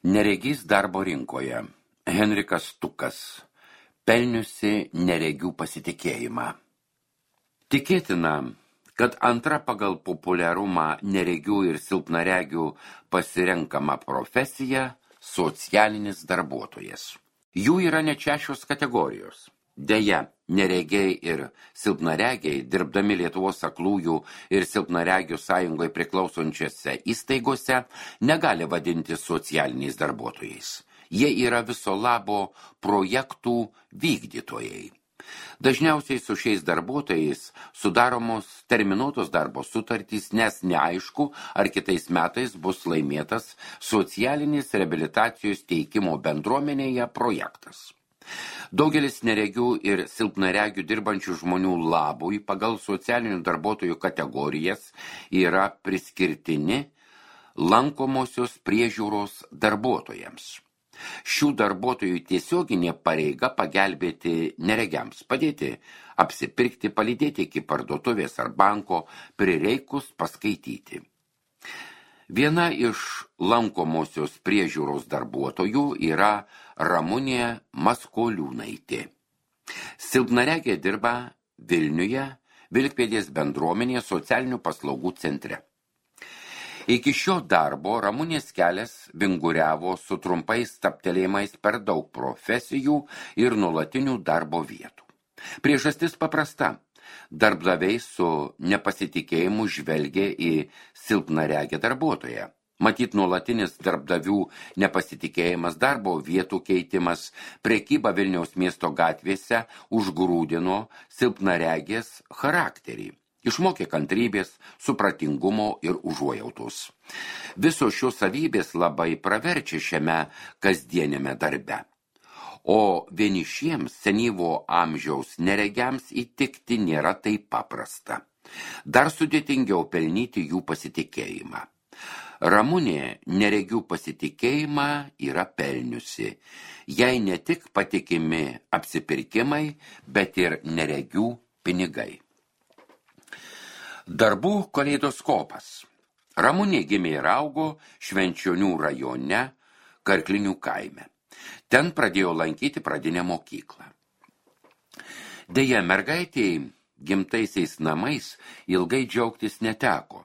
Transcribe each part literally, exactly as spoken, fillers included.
Neregys darbo rinkoje. Henrikas Tukas. Pelniusi neregių pasitikėjimą. Tikėtina, kad antra pagal populiarumą neregių ir silpnaregių pasirenkama profesija – socialinis darbuotojas. Jų yra net šešios kategorijos. Deja, neregiai ir silpnaregiai, dirbdami Lietuvos aklųjų ir silpnaregių sąjungai priklausončiose įstaigose, negali vadinti socialiniais darbuotojais. Jie yra viso labo projektų vykdytojai. Dažniausiai su šiais darbuotojais sudaromos terminuotos darbo sutartys, nes neaišku, ar kitais metais bus laimėtas socialinis reabilitacijos teikimo bendruomenėje projektas. Daugelis neregių ir silpnaregių dirbančių žmonių labui pagal socialinių darbuotojų kategorijas yra priskirtini lankomosios priežiūros darbuotojams. Šių darbuotojų tiesioginė pareiga pagelbėti neregiams, padėti apsipirkti, palydėti iki parduotuvės ar banko, prireikus paskaityti. Viena iš lankomosios priežiūros darbuotojų yra Ramunė Maskoliūnaitė. Silpnaregė dirba Vilniuje, Vilkpėdės bendruomenėje socialinių paslaugų centre. Iki šio darbo Ramunės kelias vinguriavo su trumpais stabtelėjimais per daug profesijų ir nuolatinių darbo vietų. Priežastis paprasta. Darbdaviai su nepasitikėjimu žvelgia į silpnaregę darbuotoją. Matyt, nuolatinis darbdavių nepasitikėjimas, darbo vietų keitimas, prekyba Vilniaus miesto gatvėse užgrūdino silpnaregės charakterį. Išmokė kantrybės, supratingumo ir užuojautos. Visos šios savybės labai praverčia šiame kasdienėme darbe. O vienišiems senyvo amžiaus neregiams įtikti nėra taip paprasta. Dar sudėtingiau pelnyti jų pasitikėjimą. Ramunė neregių pasitikėjimą yra pelniusi. Jai ne tik patikimi apsipirkimai, bet ir neregių pinigai. Darbų kaleidoskopas. Ramunė gimė ir augo Švenčionių rajone, Karklinių kaime. Ten pradėjo lankyti pradinę mokyklą. Deja, mergaitei gimtaisiais namais ilgai džiaugtis neteko.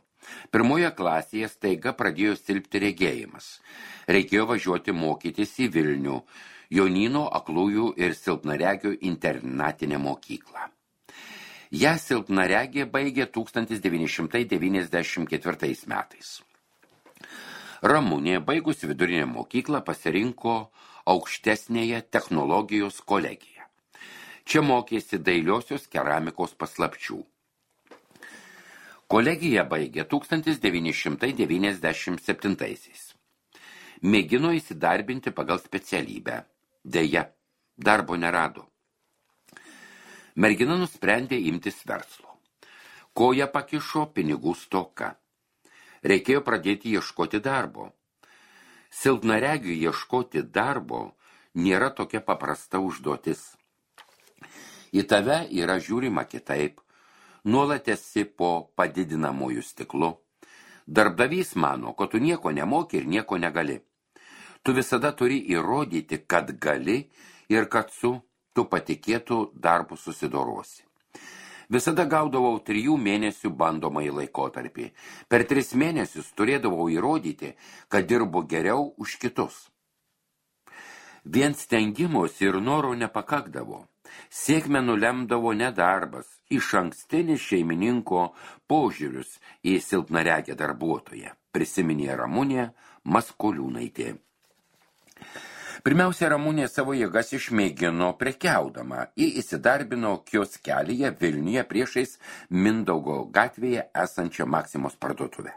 Pirmoje klasėje staiga pradėjo silpti regėjimas. Reikėjo važiuoti mokytis į Vilnių, Jonyno aklųjų ir silpnaregių internatinę mokyklą. Ją silpnaregė baigė tūkstantis devyni šimtai devyniasdešimt ketvirtais metais. Ramunė, baigus vidurinę mokyklą, pasirinko aukštesnėje technologijos kolegiją. Čia mokėsi dailiosios keramikos paslapčių. Kolegiją baigė tūkstantis devyni šimtai devyniasdešimt septintaisiais. Mėgino įsidarbinti pagal specialybę. Deja, darbo nerado. Mergina nusprendė imtis verslo. Koja pakišo pinigų stoka. Reikėjo pradėti ieškoti darbo. Silpnaregiui ieškoti darbo nėra tokia paprasta užduotis. Į tave yra žiūrima kitaip, nuolat esi po padidinamųjų stiklu. Darbdavys mano, kad tu nieko nemoki ir nieko negali. Tu visada turi įrodyti, kad gali ir kad su tu patikėtų darbu susidorosi. Visada gaudavau trijų mėnesių bandomąjį laikotarpį. Per tris mėnesius turėdavau įrodyti, kad dirbu geriau už kitus. Vien stengimosi ir norų nepakakdavo. Sėkmę nulemdavo nedarbas, išankstinis šeimininko požiūrius į silpnaregę darbuotoją, prisiminė Ramunė Maskoliūnaitė. Pirmiausia, Ramunė savo jėgas išmėgino prekiaudama. Ji įsidarbino kioskelyje Vilniuje priešais Mindaugo gatvėje esančią Maksimos parduotuvę.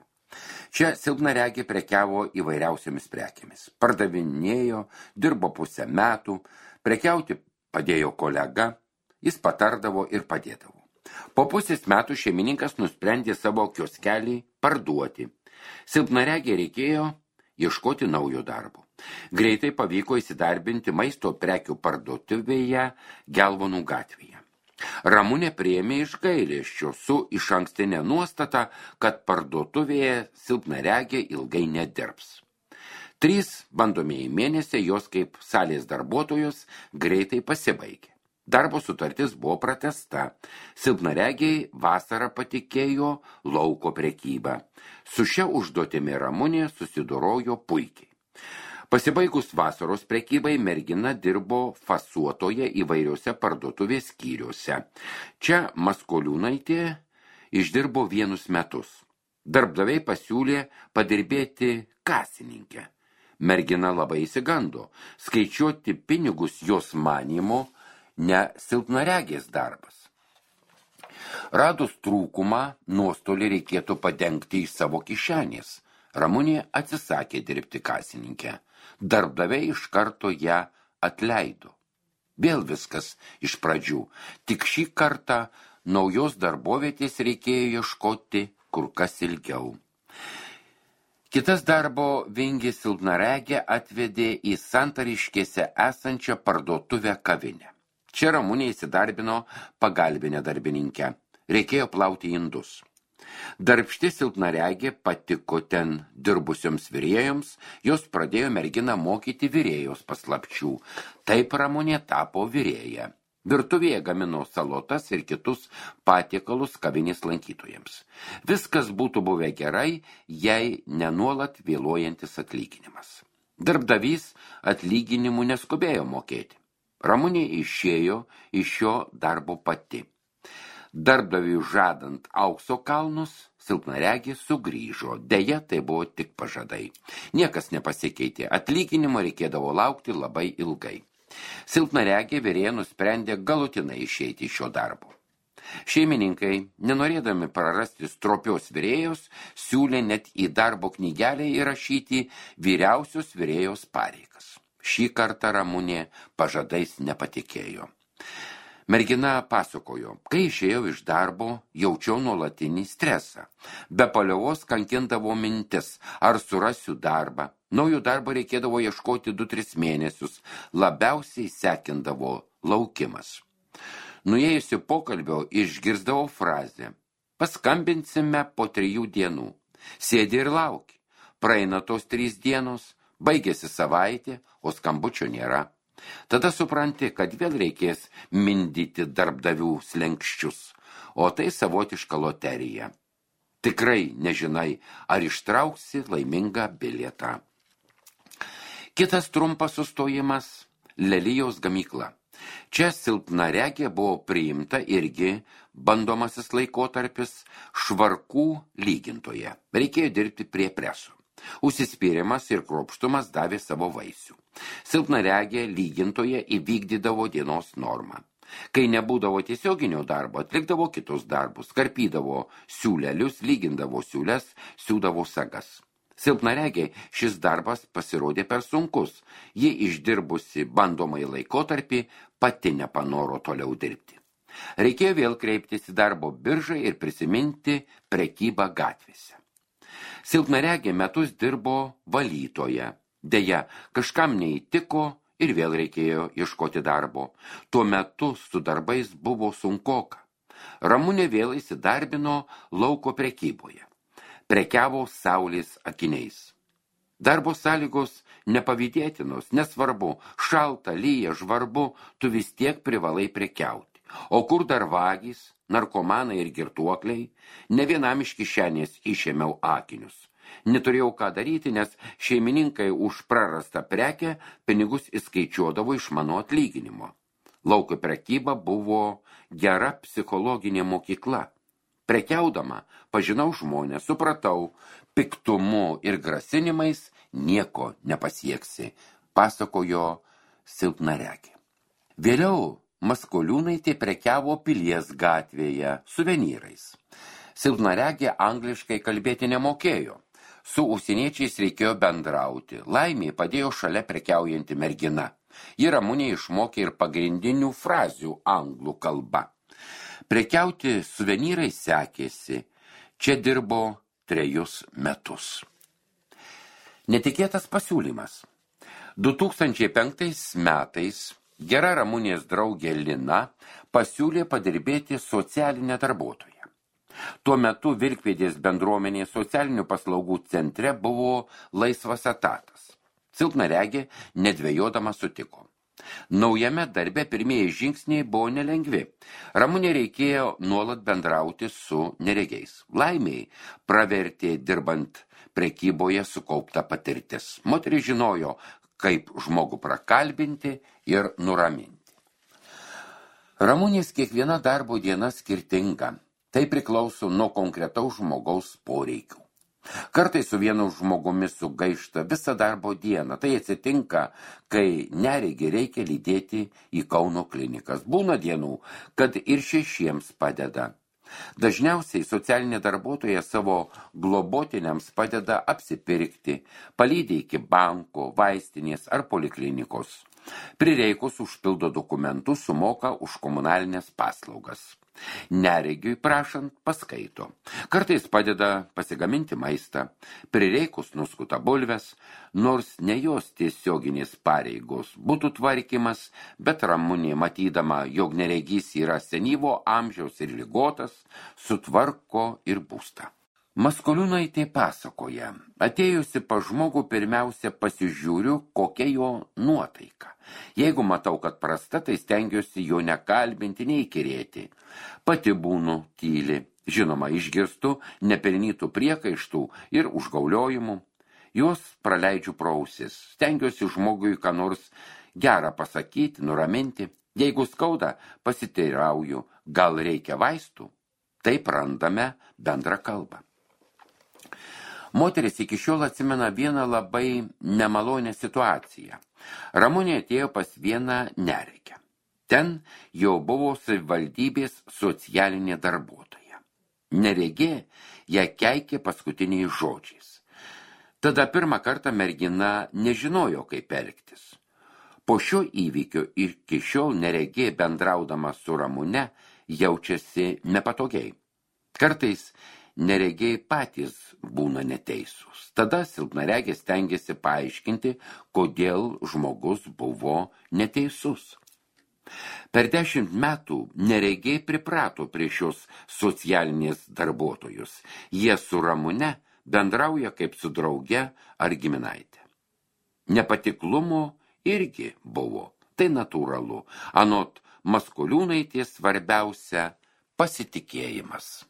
Čia silpnaregė prekiavo įvairiausiamis prekėmis. Pardavinėjo, dirbo pusę metų, prekiauti padėjo kolega, jis patardavo ir padėdavo. Po pusės metų šeimininkas nusprendė savo kioskelį parduoti. Silpnaregė reikėjo ieškoti naujo darbo. Greitai pavyko įsidarbinti maisto prekių parduotuvėje Gelvonų gatvėje. Ramunė priėmė iš gailesčio su išankstinė nuostata, kad parduotuvėje silpnaregė ilgai nedirbs. Trys bandomieji mėnesiai jos kaip salės darbuotojos greitai pasibaigė. Darbo sutartis buvo pratęsta. Silpnaregiai vasarą patikėjo lauko prekybą. Su šia užduotimi Ramunė susidorojo puikiai. Pasibaigus vasaros prekybai mergina dirbo fasuotoje įvairiuose parduotuvės skyriuose. Čia Maskoliūnaitė išdirbo vienus metus. Darbdaviai pasiūlė padirbėti kasininkę. Mergina labai įsigando. Skaičiuoti pinigus jos manymu ne silpnaregės darbas. Radus trūkumą, nuostolį reikėtų padengti iš savo kišenės. Ramunė atsisakė dirbti kasininkę. Darbdaviai iš karto ją atleido. Vėl viskas iš pradžių. Tik šį kartą naujos darbovietės reikėjo ieškoti kur kas ilgiau. Kitas darbo vingis silpnaregė atvedė į Santariškėse esančią parduotuvę kavinę. Čia Ramunė įsidarbino pagalbinę darbininkę. Reikėjo plauti indus. Darbšti silpnaregė patiko ten dirbusioms virėjoms, jos pradėjo merginą mokyti virėjos paslapčių. Taip Ramunė tapo virėja. Virtuvėje gamino salotas ir kitus patiekalus kavinės lankytojams. Viskas būtų buvę gerai, jei nenuolat vėluojantis atlyginimas. Darbdavys atlyginimų neskubėjo mokėti. Ramunė išėjo iš šio darbo pati. Darbdaviui žadant aukso kalnus, silpnaregis sugrįžo. Deja, tai buvo tik pažadai. Niekas nepasikeitė. Atlyginimo reikėdavo laukti labai ilgai. Silpnaregė virėja nusprendė galutinai išeiti iš šio darbo. Šeimininkai, nenorėdami prarasti stropios virėjos, siūlė net į darbo knygelę įrašyti vyriausios virėjos pareigas. Šį kartą Ramunė pažadais nepatikėjo. Mergina pasakojo, kai išėjau iš darbo, jaučiau nuolatinį stresą. Be paliovos kankindavo mintis, ar surasiu darbą. Naujo darbo reikėdavo ieškoti du tris mėnesius. Labiausiai sekindavo laukimas. Nuėjusi pokalbio išgirsdavau frazę. Paskambinsime po trijų dienų. Sėdi ir lauki. Praeina tos trys dienos, baigėsi savaitė, o skambučio nėra. Tada supranti, kad vėl reikės mindyti darbdavių slenkščius, o tai savotiška loterija. Tikrai nežinai, ar ištrauksi laimingą bilietą. Kitas trumpas sustojimas – Lelijos gamykla. Čia silpnaregė buvo priimta irgi bandomasis laikotarpis švarkų lygintoje. Reikėjo dirbti prie preso. Užsispyrimas ir kruopštumas davė savo vaisių. Silpnaregė lygintoje įvykdydavo dienos normą. Kai nebūdavo tiesioginio darbo, atlikdavo kitus darbus, karpydavo siūlelius, lygindavo siūles, siūdavo sagas. Silpnaregiai šis darbas pasirodė per sunkus. Ji išdirbusi bandomąjį laikotarpį pati nepanoro toliau dirbti. Reikėjo vėl kreiptis į darbo biržą ir prisiminti prekybą gatvėse. Silpnaregė metus dirbo valytoje. Deja, kažkam neįtiko ir vėl reikėjo ieškoti darbo. Tuo metu su darbais buvo sunkoka. Ramunė vėl įsidarbino lauko prekyboje. Prekiavo saulės akiniais. Darbo sąlygos nepavydėtinos, nesvarbu, šalta, lyja, žvarbu, tu vis tiek privalai prekiauti. O kur dar vagys, narkomanai ir girtuokliai, ne vienam iš kišenės išėmiau akinius. Neturėjau ką daryti, nes šeimininkai už prarastą prekę pinigus įskaičiuodavo iš mano atlyginimo. Lauko prekyba buvo gera psichologinė mokykla. Prekiaudama pažinau žmonės, supratau, piktumu ir grasinimais nieko nepasieksi, pasakojo silpnaregė. Vėliau Maskoliūnaitė prekiavo Pilies gatvėje suvenyrais. Silpnaregė angliškai kalbėti nemokėjo. Su užsieniečiais reikėjo bendrauti. Laimė padėjo šalia prekiaujanti mergina. Ji Ramunė išmokė ir pagrindinių frazių anglų kalba. Prekiauti suvenyrai sekėsi. Čia dirbo trejus metus. Netikėtas pasiūlymas. du tūkstančiai penktais metais gera Ramunės draugė Lina pasiūlė padirbėti socialinę darbuotoją. Tuo metu Vilkpėdės bendruomenės socialinių paslaugų centre buvo laisvas etatas. Silpnaregė nedvejodama sutiko. Naujame darbe pirmieji žingsniai buvo nelengvi. Ramunė reikėjo nuolat bendrauti su neregiais. Laimiai pravertė dirbant prekyboje sukaupta patirtis. Moteris žinojo, kaip žmogų prakalbinti ir nuraminti. Ramunės kiekviena darbo diena skirtinga. Tai priklauso nuo konkretaus žmogaus poreikių. Kartais su vienu žmogumi sugaišta visą darbo dieną. Tai atsitinka, kai neregį reikia lydėti į Kauno klinikas. Būna dienų, kad ir šešiems padeda. Dažniausiai socialinė darbuotoja savo globotiniams padeda apsipirkti, palydi iki banko, vaistinės ar poliklinikos. Prireikus užpildo dokumentus, sumoka už komunalinės paslaugas. Neregiui prašant paskaito. Kartais padeda pasigaminti maistą, prireikus nuskuta bulves, nors ne jos tiesioginės pareigos būtų tvarkymas, bet Ramunė, matydama, jog neregys yra senyvo amžiaus ir ligotas, sutvarko ir būstą. Maskoliūnaitė pasakoja, atėjusi pas žmogų pirmiausia pasižiūriu, kokia jo nuotaika. Jeigu matau, kad prasta, tai stengiuosi jo nekalbinti, neįkirėti. Pati būnu tyli, žinoma, išgirstu nepelnytų priekaištų ir užgauliojimų. Juos praleidžiu pro ausis, stengiuosi žmogui ką nors gerą pasakyti, nuraminti. Jeigu skauda, pasiteirauju, gal reikia vaistų. Taip randame bendrą kalbą. Moteris iki šiol atsimena vieną labai nemalonę situaciją. Ramunė atėjo pas vieną neregę. Ten jau buvo savivaldybės socialinė darbuotoja. Neregė ją keikė paskutiniais žodžiais. Tada pirmą kartą mergina nežinojo, kaip elgtis. Po šio įvykio iki šiol neregė bendraudama su Ramune jaučiasi nepatogiai. Kartais neregiai patys būna neteisūs. Tada silpnaregė stengiasi paaiškinti, kodėl žmogus buvo neteisus. Per dešimt metų neregiai priprato prie šios socialinės darbuotojus. Jie su Ramune bendrauja kaip su drauge ar giminaitė. Nepatiklumo irgi buvo. Tai natūralu. Anot Maskoliūnaitės svarbiausia pasitikėjimas.